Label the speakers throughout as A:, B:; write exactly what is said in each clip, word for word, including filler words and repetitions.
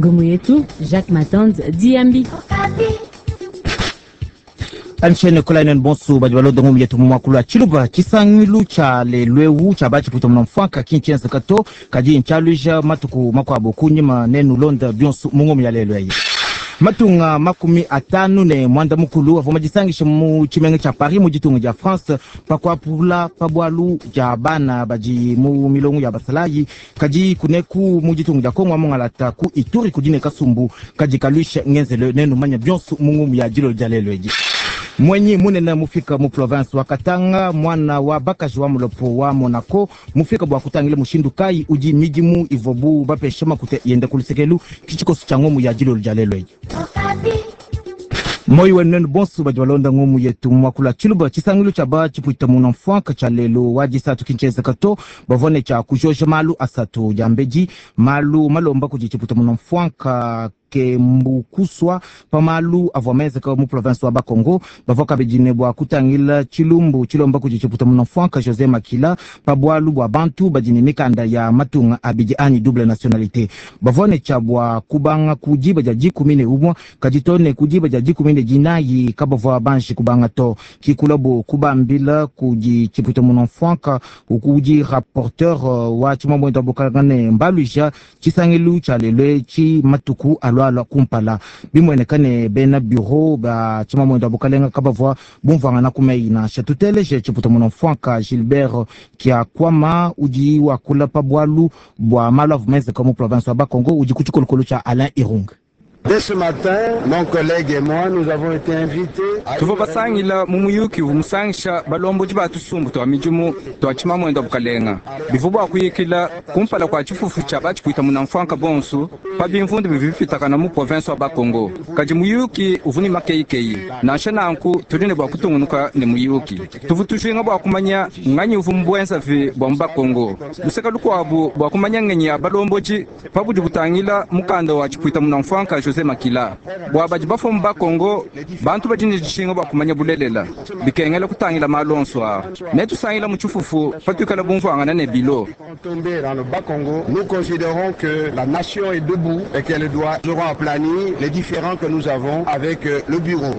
A: Ngumu yetu Jacques Matand Diambi.
B: Anshene kolainen bonso badi balonda ngumu yetu mu muakulu wa tshiluba. Tshisangilu tshia lelu eu tshia batshipuita muna mfuanka ki ntshienzeka to, kadi ntshialuija matuku makuabu kunyima. Nenulonda bionso mu ngumu ya lelu eyi. Matunga makumi atanu ne mwanda mukulu avua madisangishe mu tshimenga tshia Paris mu ditunga dia France pa kuapula pa bualu dia bana badi mu milongo ya basalayi. Kadi kuneku mu ditunga dia Kongo amongalata ku Ituri kudi ne kasumbu kadi kaluisha ngenzelo. Nenumanya bionso mu ngumu ya dilolo dia lelu edi. Mwenyi munene mufika mu province wa Katanga, mwana wa bakaji wa mulopo wa Monaco mufika bua kutangila mushindu kayi udi midimu ivuabu bapesha makuta yenda ku lusekelu. Tshikoso tshia ngumu ya dilolo dia lelu edi. Moyi wenu nenu bonso badi balonda ngumu yetu mu muakulu wa tshiluba. Tshisangilu tshia batshipuita muna mfuanka tshia lelu wa disatu ki ntshienzeka to, bavua ne tshia kujoja malu asatu diambedi. Malu malomba kudi tshipuita muna mfuanka kembukuswa pa malu avua menzeka mu province wa Bakongo. Bavua kabidi ne bua kutangila tshilumbu tshilomba kudi tshipuita muna mfuanka José Makila pa bualu bua bantu badi ne mikanda ya matunga abidi anyi double nationalité. Bavua ne tshia bua kubanga ku diba dia dikumi ne umue, kadi to ne ku diba dia dikumi ne dinayi kabavua banji kubanga to. Kikulabu kubambila kudi tshipuita muna mfuanka ukudi rapporteur wa tshimambuendo wa bukalanga ne mbaluija tshisangilu tshia lelu etshi matuku alua alua kumpala. Bimueneka ne bena bureau ba tshimambuendo wa bukalenga kabavua bumvuangana ku meyi nansha. Tuteleje tshipuita muna mfuanka Gilbert Kiakwama udi wakula pa bualu bua malu avua menzeka mu province wa Bakongo udi ku tshikolokolo tshia Alain Irung.
C: Dès ce matin, mon collègue et moi, nous avons été invités.
D: Tuvua basangila mu muyuki uvua musangisha balombodi ba tusumbu twa midimu twa tshimamwendo bukalenga bivua bua kuyikila kumpala kua tshifufu tshia batshipuita muna mfuanka bonso pa bimvundu bivi bipitakana mu province wa Bakongo. Kadi muyuki uvua ne makeikeyi, nansha nanku tudi ne bua kutungunuka ne muyuki. Tuvua tujinga bua kumanya nganyi uvua mbuenzavi bua mu Bakongo, luseka lukuabu bua kumanya ngenyi ya balombodi pa budi butangila mukanda wa tshipuita muna mfuanka José Makila. Bua badi bafua mu Bakongo, bantu badi ne dijinga bua kumanya bulelela bikengela kutangila malu onso aa. Netusangila mu tshifufu patuikala bumvuangana ne bilo.
C: Tombé dans le Bas-Congo, nous considérons que la nation est debout et qu'elle doit aplanir les différends que nous avons avec le bureau.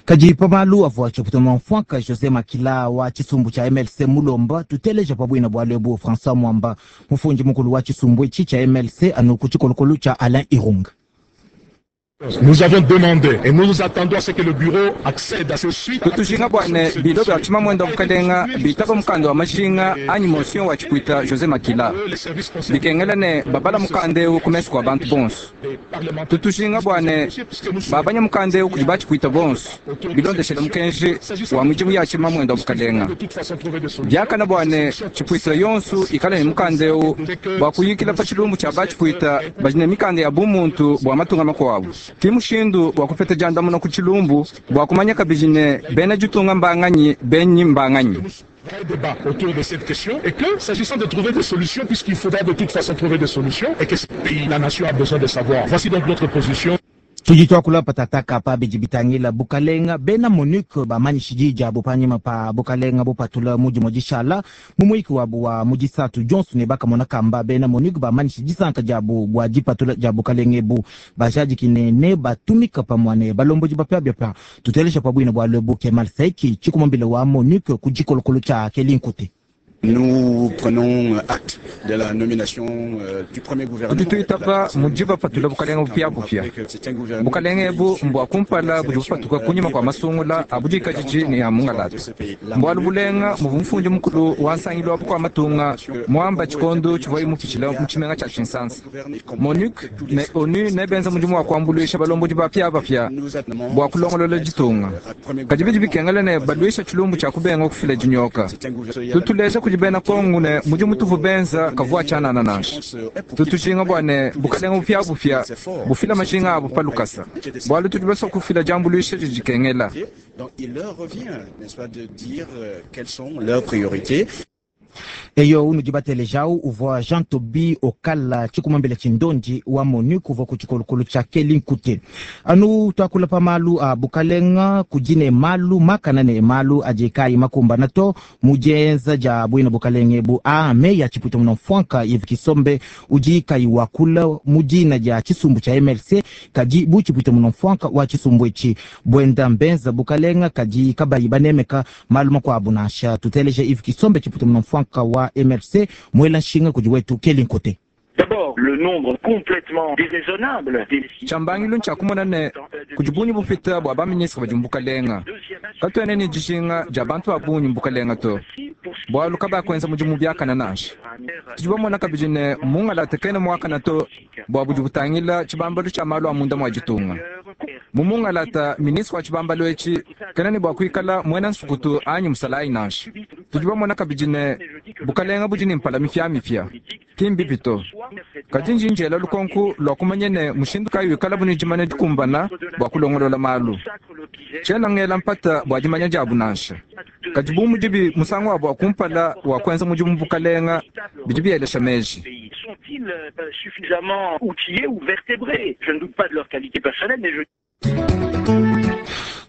B: Kadi pa malu avua tshipuita muna mfuanka José Makila wa tshisumbu tshia M L C mulomba, tuteleja pa bwina bua lebu François Mwamba mufundi mukulu wa tshisumbu etshi tshia M L C anu ku tshikolokolo tshia Alain Irung.
E: Nous avons demandé et nous nous attendons à ce que le bureau accède à ce suite.
D: Tutujinga bwane bilo bya tshimamwendo bukalenga bitaba mukanda wa majinga anyi motion wa tshipuita José Makila bikengela ne babala mukanda eu ku mesu kua bantu bonso. Tutujinga bwane babanya mukanda eu kudi batshipuita bonso bilondeshela mukenji wa mudimu ya tshimamwendo bukalenga. Biakana bwane tshipuita yonso ikala ne mukanda eu bua kuyikila pa tshilumbu tshia batshipuita badi ne mikanda ya bumuntu bua matunga makuabu. Ki mushindu wa kupeta diandamuna ku tshilumbu bua kumanya kabidi ne bena ditunga mbanganyi benyi mbanganyi.
E: Vrai débat autour de cette question et que, s'agissant de trouver des solutions, puisqu'il faudra de toute façon trouver des solutions et que ce pays, la nation a besoin de savoir. Voici donc notre position.
B: Tudi tuakula patataka pa bidi bitangila bukalenga bena MONUC bamanyishi dija bupanyima pa bukalenga bupatula mudi modishala mu muyiki wabu wa mudisatu Johnson ne bakamona kamba bena MONUC bamanyishi disanka diabu bua dipatula dia bukalenga ebu bajadiki ne batumika pamue ne balombodi bapiabapia. Tutelesha pa bwina bua lebu Kemal Saiki tshikumambila wa MONUC ku tshikolokolo tshia Kelinkute.
C: Nous prenons acte de la nomination euh, du premier gouvernement.
D: Tudi tuitaba mudiba patula bukalenga bupiabupia. Bukalenga ebu mbua kumpala budi bupatuka kunyima kua masungula abudika jiji ne ya mungalata. Mbualu bulenga muvua mufundi mukulu wa nsangilu wa bukua matunga muamba tshikondo tshivua mupitshila mu tshimenga tshia Kinshasa. MONUC ne ONU nebenza mudimu wa kuambuluisha balombodi bapiabapia bua kulongolola ditunga. Kadi bidi bikengela ne baluisha tshilumbu tshia kubenga kufila dinyoka. Tutuleja kudi bena Kongo ne mudimu tuvu benza kavua tshianana nansha. Tutujinga bua ne bukalenga bupiabupia bufila majinga abu pa lukasa. Bualu tudi basua kufila diambuluisha didi dikengela.
C: Donc il leur revient, n'est-ce pas, de dire euh, quelles sont leurs priorités.
B: Eyo unudi batelejawu uvua Jean Tobi Okala tshikumambila tshindondi wa MONUC uvua ku tshikolokolo tshia Keli Nkute. Anu tuakula pa malu a bukalenga kudi ne malu makana ne malu adi kayi makumbana to mu dienza dia bwina bukalenga ebu a meya tshipuita muna mfwanka Yves Kisombe udi kayi wakula mu dina dia tshisumbu tshia M L C kadi bu tshipuita muna mfwanka wa tshisumbu etshi bwenda mbenza bukalenga kadi kabayi banemeka malu makuabu nansha. Tuteleje Yves Kisombe tshipuita muna mfwanka wa M L C mwela nshinga kudi wetu Keli Nkote.
F: D'abord, le nombre complètement déraisonnable des
D: Tshambangilu ntshakumona ne kudi bungi bupita bua baministre badi mbukalenga. Katuena ne dijinga dia bantu ba bungi mbukalenga to. Bualu kabakwenza mudimu biakana nansha. Tudi bamona kabidi ne mungalata kena muakana to bua budi butangila tshibambalu tshia malu a munda mua ditunga. Mu mungalata ministre wa tshibambalu etshi kena ne bua kuikala muena nsukutu anyi musalayi nansha. Tudi bamona kabidi ne bukalenga budi ne mpala mipiamipia. Ki mbibi to. Kadi njinjela lukonku lwa kumanya ne mushindu kayi wikala buni dimanya dikumbana bua kulongolola malu. Tshiena ngela mpata bua dimanya diabu nansha. Kadi bu mudibi musangu wabu wa kumpala wa kuenza mudimu bukalenga bidi bielesha meji.
F: Sont-ils suffisamment outillés ou vertébrés? Je ne doute pas de leur qualité personnelle, mais je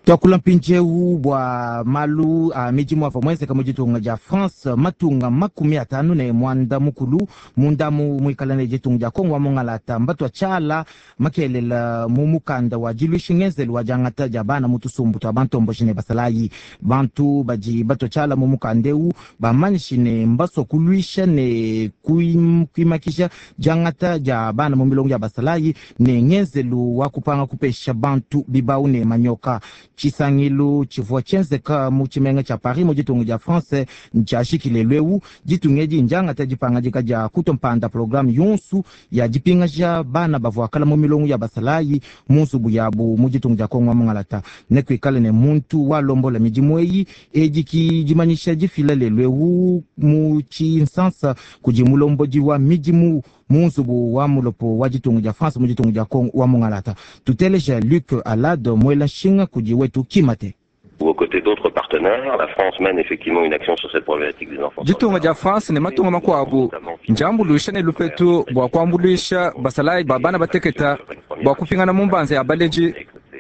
B: Twakula mpindieu bua malu a midimu avua muenzeka mu ditunga dia France matunga makumi atanu ne mwanda mukulu mundamu muikala ne ditunga dia Kongo wa mungalata mbatwa tshiala makelela mu mukanda wa diluishi ngenzelu wa diangata dia bana mu tusumbu twa bantomboshi ne basalayi. Bantu badi batwa tshiala mu mukanda eu bamanyishi ne mbasua kuluisha ne kuim-, kuimakisha diangata dia bana mu milongo ya basalayi ne ngenzelu wa kupanga kupesha bantu bibau ne manyoka. Tshisangilu tshivua tshienzeka mu tshimenga tshia Paris mu ditunga dia France ntshiashikile lweu ditunga edi ndiangata dipangadika dia kutompanda programme yonsu ya dipingaja bana bavua kala mu milongo ya basalayi mu nzubu yabu mu ditunga dia Kongo mungalata. Ne kuikale ne muntu walombola midimu eyi edi ki dimanyisha difila lelweu mu tshinsansa kudi mulombodi wa midimu mu nzubu wa mulopo wa ditunga dia France mu ditunga dia Kongo wa mungalata. Tuteleja Luc Alade mwela nshinga kudi wetu Kimate.
G: Ou aux côtés d'autres partenaires, la France mène effectivement une action sur cette problématique des enfants.
D: Ditunga dia France ne matunga makuabu njambuluisha ne lupetu bua kuambuluisha basalayi ba bana bateketa bua kupingana mu mbanza ya baleji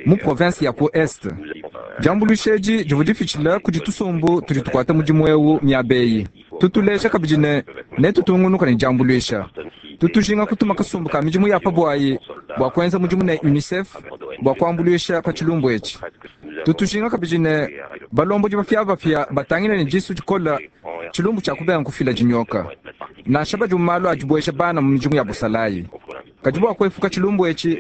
D: mu province ya ku Est. Jambuluisha edi divua dipitshila kudi tusumbu tudi tukuata mudimu eu miabeyi. Tutuleja kabidi ne netutungunuka ne jambuluisha. Tutujinga kutuma kasumbu ka midimu ya pabwayi bua kuenza mudimu ne UNICEF bua kuambuluisha pa tshilumbu etshi. Tutujinga kabidi ne balombodi bapia bapia batangile ne disu dikola tshilumbu tshia kubenga kufila dinyoka. Nansha badi mu malu adibuesha bana mu midimu ya busalayi. Kadi bua kuepuka tshilumbu etshi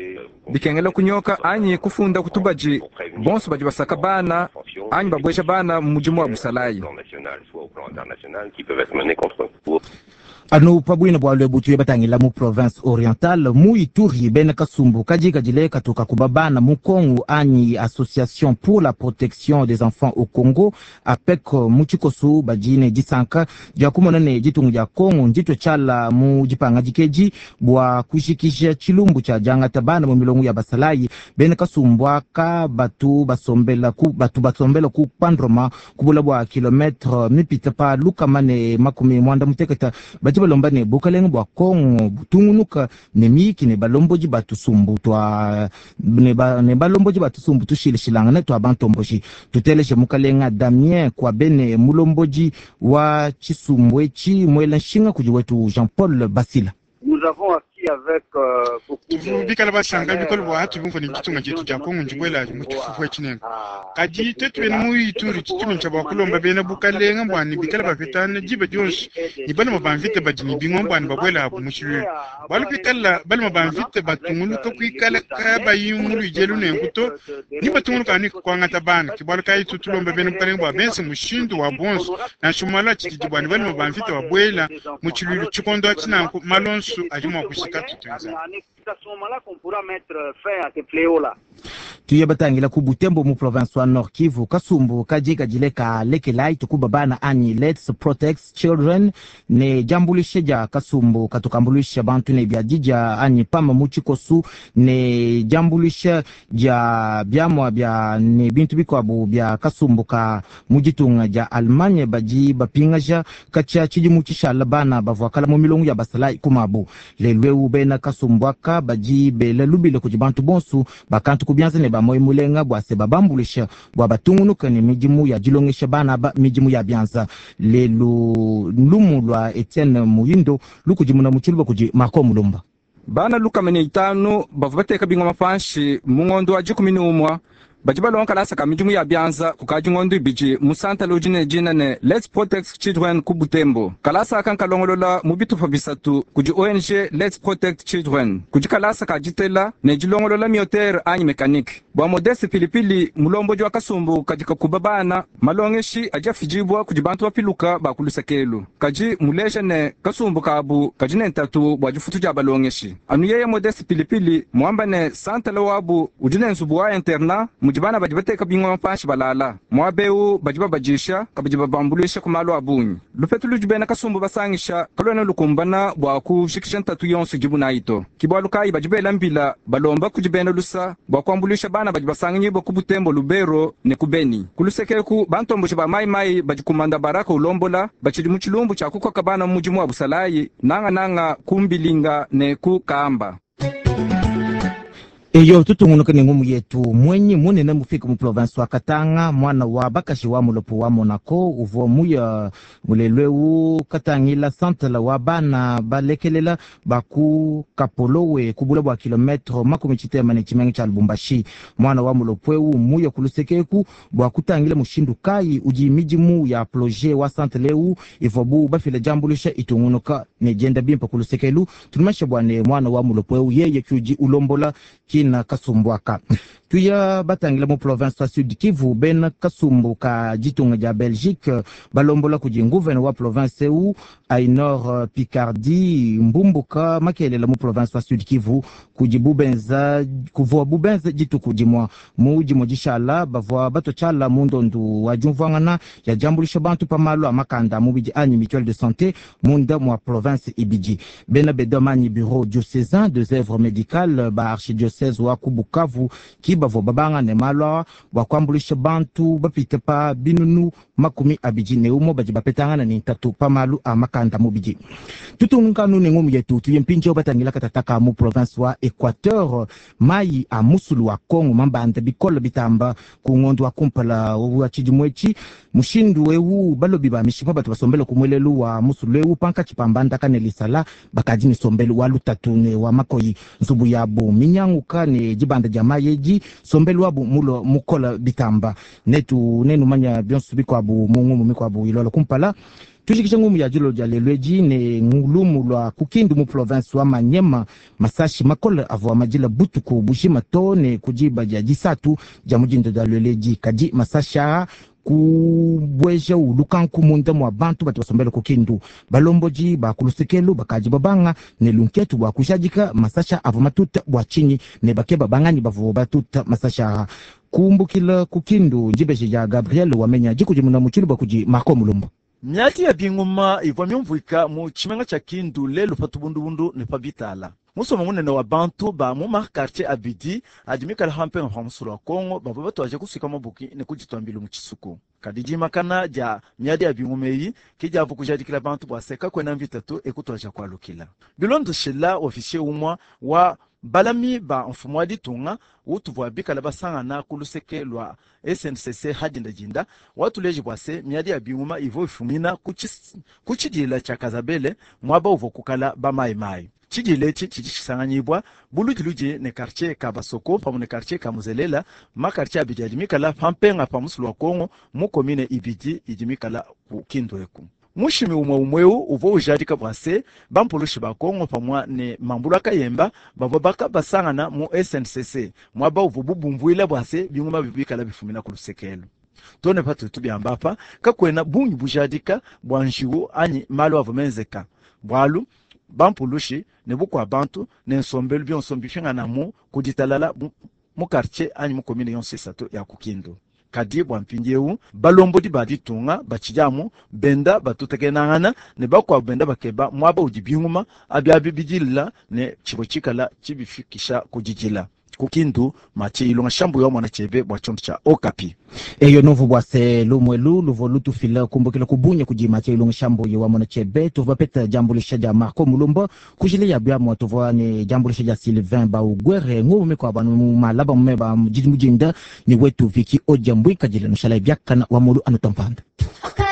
D: bikengela kunyoka anyi kufunda kutubaji bonso badi basaka bana anyi babuesha bana mu mudimu wa busalayi.
B: Anu pabwina bwa lwebu tuye batangila mu province orientale mu Ituri bena kasumbu kadi kadile katoka kuba bana mu Kongo anyi Association pour la protection des enfants au Congo APEC mu tshikoso badi ne disanka dia kumona ne ditunga dia Kongo nditwe tshiala mu dipanga dikeji bua kujikija tshilumbu tshia diangata bana mu milongo ya basalayi. Bena kasumbu aka batu basombela ku batu basombela ku Pandroma kubula bua kilometre mipita pa lukama ne makumi mwanda muteketa badi balomba ne bukalenga bua Kongo butungunuka ne miyiki ne balombodi batusumbu twa ne ba, ne balombodi batusumbu tushilishilangana twa bantomboji. Tuteleje mukalenga Damien kwa bene mulombodi wa tshisumbu etshi mwela nshinga kudi wetu Jean-Paul Basila.
H: Nous avons acquis avec, euh, beaucoup de
I: Bikala basanga bikolo bwa hatu bumva ni ditunga dietu dia Kongo ndibwela mu tshifufu etshi kadi tetu bena mu Ituri tshitshimi tshia bua kulomba bena bukalenga bua ne bikala bapetana diba dionso ne balema ba mvita badi ne bingoma bua ne babuela abu mu tshilulu. Bualu bikala balema ba mvita batunguluka kuikala kabayi mu luidelu nenku to ni batunguluka ni kuangata bana. Ke bualu kayi tutulomba bena bukalenga bua benze mushindu wa bonso nansha malu a tshididi bua ne balema ba mvita babuela mu tshilulu tshikondo atshi nanku malonso adi mua kushika tutuenza.
H: C'est à ce moment-là qu'on pourra mettre fin à ce fléau-là.
B: Tuye batangila ku Butembo mu province wa Nord Kivu, kasumbu kaji kajile ka lekelai tukuba bana anyi Let's Protect Children ne jambulishe ja kasumbu katukambulisha bantu ne bya jija anyi pama muchikosu ne jambulishe ja byamwa bya ne bintu bikwabu bya kasumbu ka mujitunga ja Allemagne baji bapingaja kacha chiji muchishala bana bavwakala mu milongo ya basalai kumabu lelweu bena kasumbu aka baji bela lubile kuji bantu bonsu bakantu kubyanza ne ba mulenga bwa se babambulisha bwa batungunuka ne midimu ya dilongesha bana ba midimu ya byanza lelu lumu lwa Etienne Muyindo lukujimuna muchuluba kuji Marco Mulumba.
D: Bana lukamene itanu bavua bateka bingoma panshi mu ngondo wa dikumi ne umwa badi balonga kalasa ka midimu ya byanza kukadi ngondo ibidi mu santala udi ne dina ne Let's Protect Children ku Butembo. Kalasa aka nkalongolola mu bitupa bisatu kudi O N G Let's Protect Children, kudi kalasa ka ditela ne dilongolola miotere anyi mekanike. Bua Modeste Pilipili mulombodi wa kasumbu kadi kakuba bana malongeshi adi afidibua kudi bantu bapiluka ba kulusakelu kadi muleja ne kasumbu kabu kadi ne ntatu bua difutu dia balongeshi. Anu yeye Modeste Pilipili muamba ne santala wabu udi ne nzubu wa internat mudi bana badi bateka bingoma panshi balala mwabeu badi babadisha kabidi babambulisha ku malu a bungi. Lupetu ludi bena kasumbu basangisha kalwena lukumbana bua kushikisha ntatu yonso idibu nayi to. Kibwalu kayi badi bela mbila balomba kudi bena lusa bua kuambulisha bana badi basanganyibwa ku Butembo, Lubero ne ku Beni. Kulusekeku bantomboshi ba mayimayi badi kumanda baraka ulombola bachidi mu tshilumbu tshia kukoka bana mu mudimu wa busalayi nangananga ku Mbilinga ne ku Kamba.
B: Eyo tutungunuka ne ngumu yetu mwenyi munene mufika mu province wa Katanga mwana wa bakashi wa mulopo wa Monaco uvua muya mulelweu katangila santala wa bana balekelela baku kapolowe kubula bwa kilometre makumi tshitema ne tshimenga tshia Lubumbashi. Mwana wa mulopo eu muya kulusekeku bwa kutangila mushindu kayi udi midimu ya projet wa santala eu ivua bu bafila jambulisha itungunuka ne jenda bimpa kulusekelu. Tunumasha bwa ne mwana wa mulopo eu yeye kyudi ulombola kina kasumbuaka. Tuya batangila mu province wa Sud Kivu bena kasumbu ka ditunga dia Belgique balombola kudi nguvene wa province eu Ainor Picardie mbumbuka makelela mu province wa Sud Kivu kudi bubenza kuvua bubenza dituku dimua mu dimo dishala bavua batochala mu ndondu wa diumvuangana ya diambulisha bantu pa malu a makanda mubidi anyi mutuelle de santé munda mua province ibidi. Bena bedomani bureau diocésain des œuvres médicales ba archidiocèse wa ku Bukavu ki bavua babanga ne malu awa bua kuambulisha bantu bapite pa binunu makumi abidi ne umue badi bapetangana ne ntatu pa malu a makanda mubidi. Tutunkanu ne ngumu yetu tuye mpindieu batangila katataka mu province wa Equateur mai a musulu wa Kongo mambanda bikolo bitamba ku ngondo wa kumpala wa tshidimu etshi mushindu eu balobi ba mishipa batu basombele ku mwelelu wa musulu eu pankatshi pa mbandaka ne lisala bakadi ne sombelu wa lutatu ne wa makoyi nzubu yabu minyanguka ne dibanda dia mayi edi sombelu wabu mulo mukola bitamba netu nenu manya bionso bikwabu mu ngumu mikwabu ilola kumpala. Tushikisha ngumu ya dilo dia lelo edi ne ngulumu lwa kukindu mu province wa Manyema masashi makola avua madila butuku bushima to ne kudiba dia disatu dia mudindo dia lelo edi kadi masashi aa kubweja ulukanku munda mwa bantu batu basombele kukindu balomboji bakulusekelu bakaji babanga ne lunketu bwa kushadika masasha avua matuta bwa chinyi ne bakeba bangani bavua batuta masasha kumbukila kukindu njibeje ya Gabriel wamenya jikujimuna muchilu bakudi Marco Mulumba.
J: Miati ya binguma ivua myumvuika mu tshimenga tshia Kindu lelu pa tubundubundu ne pa bitala. Musoma munene wa bantu ba mu makartier abidi adi mikala hampenga pa musulu wa Kongo bavua batuaje kusuika mabuki ne kuditwambila mu tshisuku. Kadi dimakana dia miadi ya binguma eyi ke diavu kujadikila bantu bua seka kwena mvitatu ekutuaja kualukila. Bilondoshela officier umwa wa balami ba mfumu wa ditunga utuvua bikala basangana ku luseke lwa S N C C hadindadinda watuleji bua se miadi ya binguma ivua ifumina ku tshidila tshia Kazabele muaba uvua kukala bamayimayi. Tshidila etshi tshidi tshisanganyibua buludiludi ne quartier ka Basoko pamue ne quartier ka Muzelela, makartier abidi adi mikala pampenga pa musulu wa Kongo mu commune ibidi idi mikala ku Kindu eku. Mushimi umwe umweu uvua ujadika bua se bampulushi ba Kongo pamue ne mambulu akayemba bavua baka basangana mu S N C C muaba uvua bubumvuila bua se binguma bibikala bifumina ku lusekelo. Tone patutu byamba apa kakwena bungi bujadika bua njiwu anyi malu avua menzeka bualu Bampulushi ne bukua bantu ne nsombelu bionso mbipinganamu ku ditalala mu quartier anyi mu commune yonso isatu ya ku Kindu. Kadi bua mpindieu balombodi ba ditunga batshidi benda batutekenangana ne bakuabu benda bakeba muaba udi binguma abi abi bidila ne tshivua tshikala tshibifikisha ku didila. Ku Kindu Mathieu Ilunga Shambu wa mwana chebe bua tshiondo tshia Okapi.
B: Eyo novu bua se lumwelu luvua lutufila kumbukila kubunya kudi Mathieu Ilunga Shambu wa mwana chebe tuvua bapeta diambulisha dia Marco Mulumba kujila ya biamua tuvua ne diambulisha dia Sylvain Baugwere ngumu mikuabu anu mu malaba mumeba mujidi mujinda ni wetu Viki Odia Mbwikadila nushala biakana wa mulu anu tampanda.
A: Okapi.